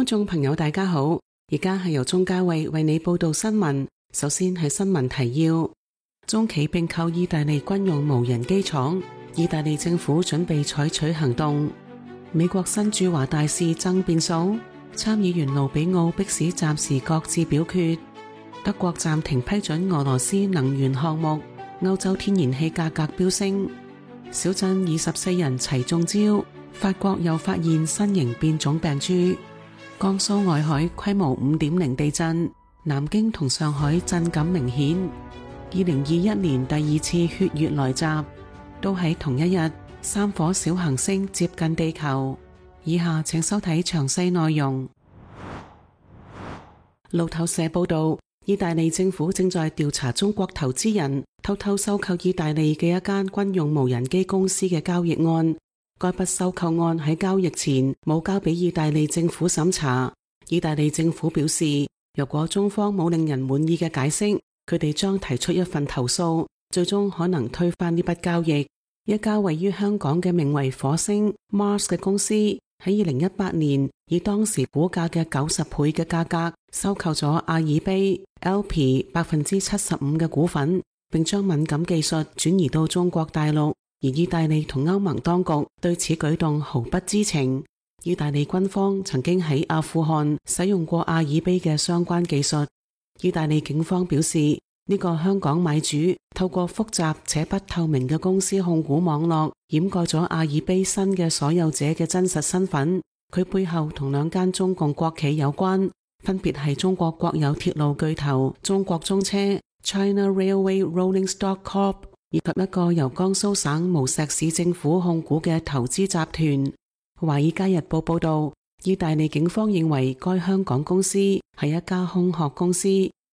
眾朋友大家好，而家係由鍾嘉慧為你報道新聞。首先係新聞提要：中企併購意大利軍用無人機廠，意大利政府準備採取行動。美國新駐華大使爭變數，參議員盧比奧迫使暫時擱置表決。德國暫停批准俄羅斯能源項目，歐洲天然氣價格飆升。小鎮24人齊中招，法國又發現新型變種病株。江蘇外海規模 5.0 地震，南京同上海震感明顯。2021年第二次血月來襲，都喺同一日，3顆小行星接近地球。以下請收睇詳細內容。路透社報道，意大利政府正在調查中國投資人偷偷收購意大利嘅一間軍用無人機公司嘅交易案。該筆收購案喺交易前冇交俾意大利政府審查。意大利政府表示，如果中方冇令人滿意嘅解釋，佢哋將提出一份投訴，最終可能推翻呢筆交易。一家位於香港嘅名為火星 Mars 嘅公司喺2018年以當時股價嘅90倍嘅價格收購咗阿爾卑 LP 75% 嘅股份，並將敏感技術轉移到中國大陸。而意大利同歐盟當局對此舉動毫不知情。意大利軍方曾經喺阿富汗使用過阿爾卑嘅相關技術。意大利警方表示，呢個香港買主透過複雜且不透明嘅公司控股網絡，掩蓋咗阿爾卑新嘅所有者嘅真實身份。佢背後同兩間中共國企有關，分別係中國國有鐵路巨頭中國中車 China Railway Rolling Stock Corp，以及一個由江蘇省無錫市政府控股嘅投資集團。華爾街日報報道，意大利警方認為該香港公司係一家空殼公司，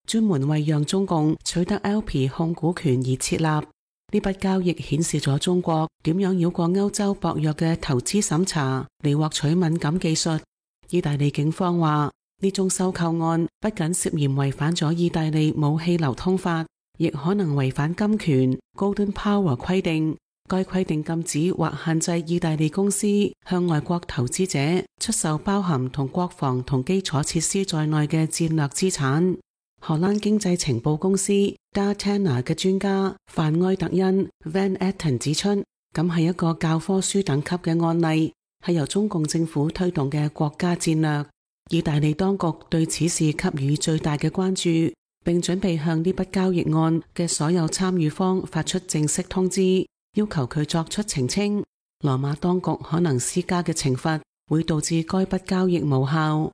專門為讓中共取得 LP 控股權而設立。呢筆交易顯示咗中國點樣繞過歐洲薄弱嘅投資審查嚟獲取敏感技術。意大利警方話，呢宗收購案不僅涉嫌違反咗意大利武器流通法，亦可能違反金權 Golden Power 規定。該規定禁止或限制意大利公司向外國投資者出售包含同國防同基礎設施在內嘅戰略資產。荷蘭經濟情報公司 Datena 嘅專家范埃特恩 Van Etten 指出，咁係一個教科書等級嘅案例，係由中共政府推動嘅國家戰略。意大利當局對此事給予最大嘅關注，並準備向呢筆交易案嘅所有參與方發出正式通知，要求佢作出澄清。羅馬當局可能施加嘅懲罰會導致該筆交易無效。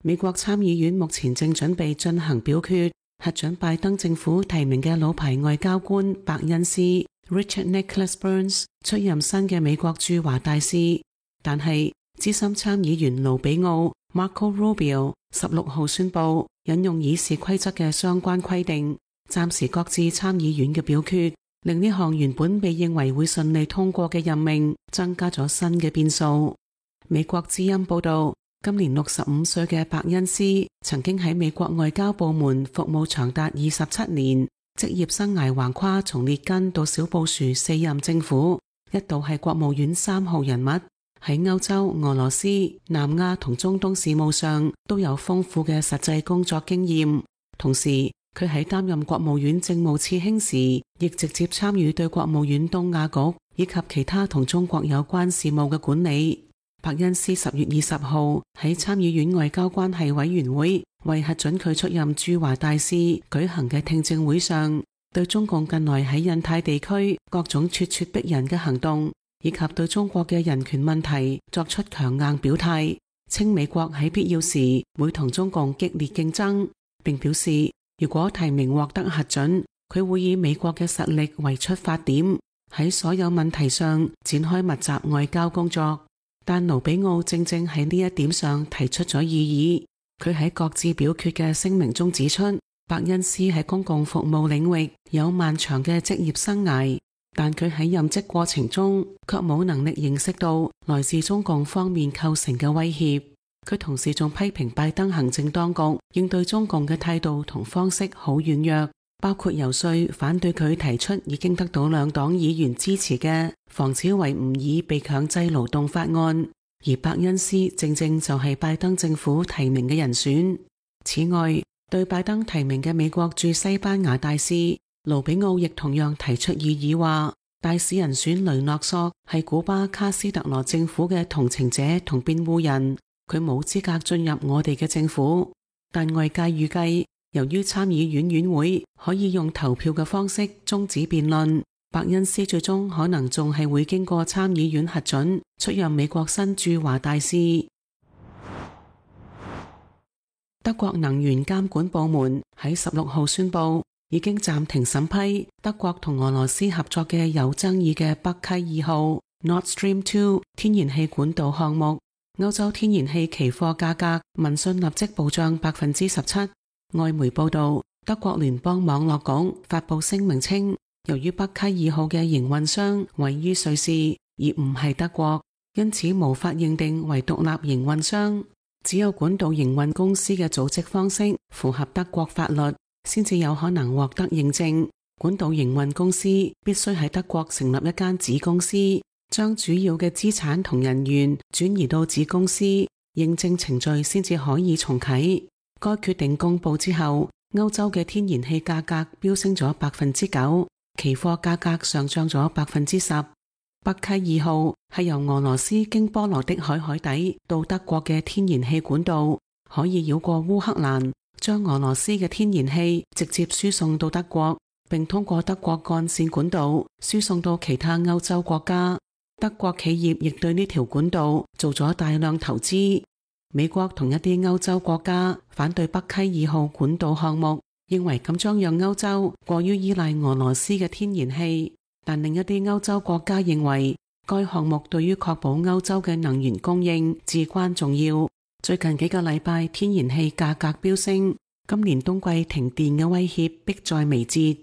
美國參議院目前正準備進行表決，核准拜登政府提名嘅老牌外交官伯恩斯 Richard Nicholas Burns 出任新嘅美國駐華大使。但係資深參議員盧比奧 Marco Rubio 16號宣布引用議事規則嘅相關規定，暫時擱置參議院嘅表決，令呢項原本被認為會順利通過嘅任命增加咗新嘅變數。美國之音報道，今年65歲嘅伯恩斯曾經喺美國外交部門服務長達27年，職業生涯橫跨從列根到小布殊4任政府，一度係國務院3號人物，喺歐洲、俄羅斯、南亞同中東事務上都有豐富嘅實際工作經驗。同時，佢喺擔任國務院政務次卿時，亦直接參與對國務院東亞局以及其他同中國有關事務嘅管理。伯恩斯10月20號喺參議院外交關係委員會為核准佢出任駐華大使舉行嘅聽證會上，對中共近來喺印太地區各種咄咄逼人嘅行動，以及對中國嘅人權問題作出強硬表態，稱美國喺必要時會同中共激烈競爭，並表示如果提名獲得核准，佢會以美國嘅實力為出發點，喺所有問題上展開密集外交工作。但盧比奧正正喺呢一點上提出咗異議。佢喺擱置表決嘅聲明中指出，伯恩斯喺公共服務領域有漫長嘅職業生涯，但佢喺任職過程中卻冇能力認識到來自中共方面構成嘅威脅。佢同時仲批評拜登行政當局應對中共嘅態度同方式好軟弱，包括游說反對佢提出已經得到兩黨議員支持嘅防止維吾爾被強制勞動法案，而伯恩斯正正就係拜登政府提名嘅人選。此外，對拜登提名嘅美國駐西班牙大使盧比奧亦同樣提出異議，話大使人選雷諾索係古巴卡斯特羅政府嘅同情者同辯護人，佢冇資格進入我哋嘅政府。但外界預計，由於參議院院會可以用投票嘅方式終止辯論，伯恩斯最終可能仲係會經過參議院核准出任美國新駐華大使。德國能源監管部門喺16號宣布，已經暫停審批德國同俄羅斯合作嘅有爭議嘅北溪2號 Nord Stream 2天然氣管道項目。歐洲天然氣期貨價格聞訊立即暴漲17%。外媒報道，德國聯邦網絡局發布聲明稱，由於北溪2號嘅營運商位於瑞士，而唔係德國，因此無法認定為獨立營運商。只有管道營運公司嘅組織方式符合德國法律，先至有可能獲得認證。管道營運公司必須喺德國成立一間子公司，將主要嘅資產同人員轉移到子公司，認證程序先至可以重啟。該決定公布之後，歐洲嘅天然氣價格飆升咗9%，期貨價格上漲咗10%。北溪2號係由俄羅斯經波羅的海底到德國嘅天然氣管道，可以繞過烏克蘭，將俄羅斯嘅天然氣直接輸送到德國，並通過德國幹線管道輸送到其他歐洲國家。德國企業亦對呢條管道做咗大量投資。美國同一啲歐洲國家反對北溪2號管道項目，認為咁將讓歐洲過於依賴俄羅斯嘅天然氣。但另一啲歐洲國家認為，該項目對於確保歐洲嘅能源供應至關重要。最近幾個禮拜，天然氣價格飆升，今年冬季停電嘅威脅迫在眉睫。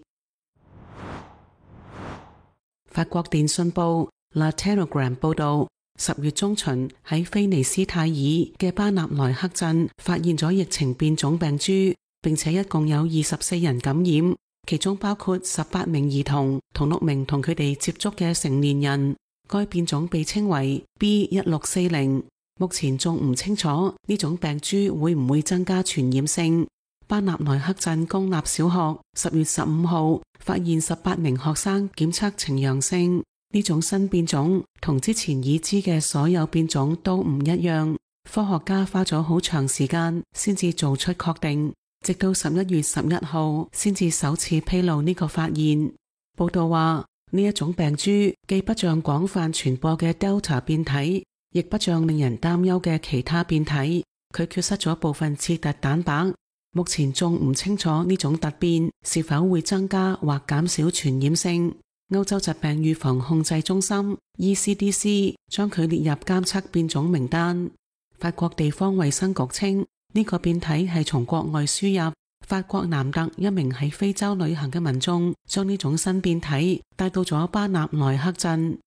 法國電訊報 La Telegram 報道，10月中旬喺菲尼斯泰爾嘅巴納萊克鎮發現咗疫情變種病株，並且一共有24人感染。其中包括18名兒童同6名同佢哋接觸嘅成年人。該變種被稱為 B1640， 目前仲唔清楚呢種病株會唔會增加傳染性。巴納萊克鎮公立小學10月15號發現18名學生檢測呈陽性。呢種新變種同之前已知嘅所有變種都唔一樣，科學家花咗好長時間先至做出確定。直到11月11號先至首次披露呢個發現。報道話，呢一種病株既不像廣泛傳播嘅 Delta 變體，亦不像令人擔憂嘅其他變體，佢缺失咗部分刺突蛋白。目前仲唔清楚呢種突變是否會增加或減少傳染性。歐洲疾病預防控制中心 ECDC 將佢列入監測變種名單。法國地方衛生局稱，呢個變體係從國外輸入。法國南特一名喺非洲旅行嘅民眾將呢種新變體帶到咗巴納萊克鎮。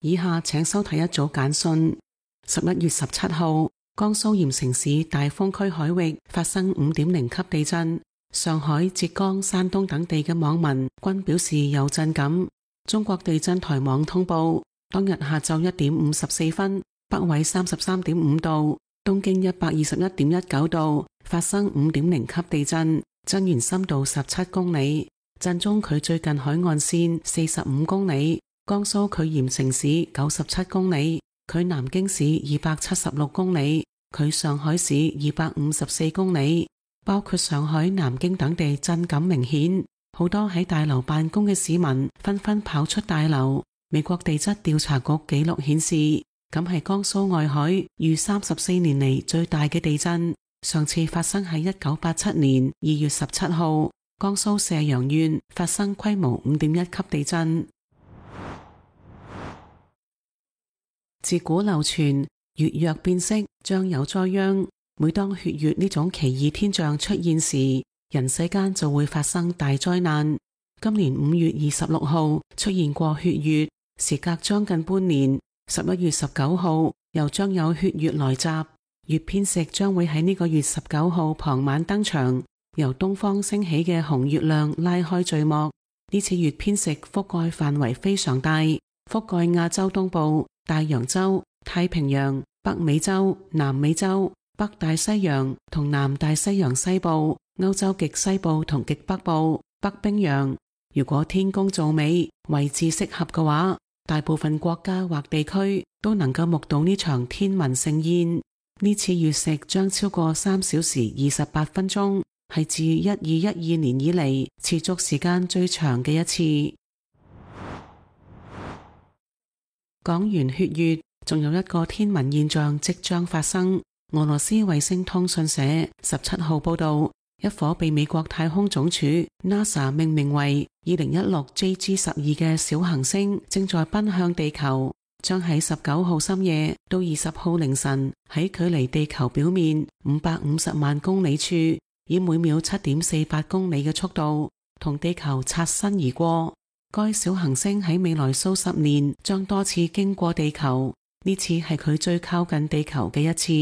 以下請收睇一組簡訊。11月17號，江蘇鹽城市大風區海域發生 5.0 級地震，上海、浙江、山東等地嘅網民均表示有震感。中國地震台網通報，當日下晝1點54分，北緯33.5度，東經121.19度，發生 5.0 級地震，震源深度17公里，震中距最近海岸線45公里，江蘇距鹽城市97公里，距南京市276公里，距上海市254公里。包括上海、南京等地震感明顯，好多喺大樓辦公嘅市民紛紛跑出大樓。美國地質調查局記錄顯示，咁係江蘇外海逾34年嚟最大嘅地震。上次發生喺1987年2月17號，江蘇射陽縣發生規模 5.1 級地震。自古流傳，月若變色將有災殃。每當血月呢種奇異天象出現時，人世間就會發生大災難。今年5月26號出現過血月，時隔將近半年，11月19號又將有血月來襲。月偏食將會喺呢個月19號傍晚登場，由東方升起嘅紅月亮拉開序幕。呢次月偏食覆蓋範圍非常大，覆蓋亞洲東部、大洋洲、太平洋、北美洲、南美洲、北大西洋同南大西洋西部、歐洲極西部同極北部、北冰洋。如果天公造美，位置適合嘅話，大部分國家或地區都能夠目睹呢場天文盛宴。呢次月食將超過3小時28分鐘，係自1212年以嚟持續時間最長嘅一次。講完血月，仲有一個天文現象即將發生。俄羅斯衛星通訊社17號報道，一顆被美國太空總署 NASA 命名為2016 JG12 嘅小行星正在奔向地球，將喺19號深夜到20號凌晨喺距離地球表面550萬公里處，以每秒 7.48 公里嘅速度同地球擦身而過。該小行星喺未來數十年將多次經過地球，呢次係佢最靠近地球嘅一次。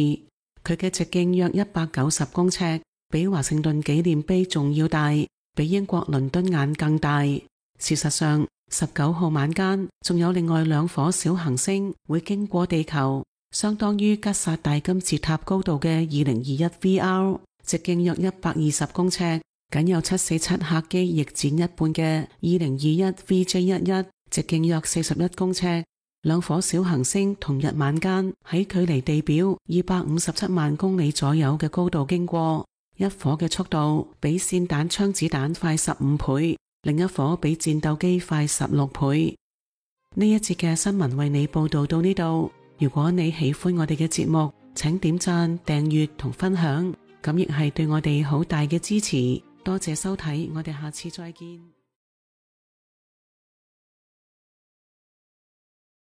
佢嘅直徑約190公尺，比華盛頓紀念碑仲要大，比英國倫敦眼更大。事實上，19號晚間仲有另外2顆小行星會經過地球，相當於吉薩大金字塔高度嘅2021 VR， 直徑約120公尺，僅有747客機翼展一半嘅2021 VJ11， 直徑約41公尺。2顆小行星同日晚間喺距離地表257萬公里左右嘅高度經過，一顆嘅速度比霰彈槍子彈快15倍，另一顆比戰鬥機快16倍。呢一節嘅新聞為你報道到呢度。如果你喜歡我哋嘅節目，請點讚、訂閱同分享，咁亦係對我哋好大嘅支持。多謝收睇，我哋下次再見。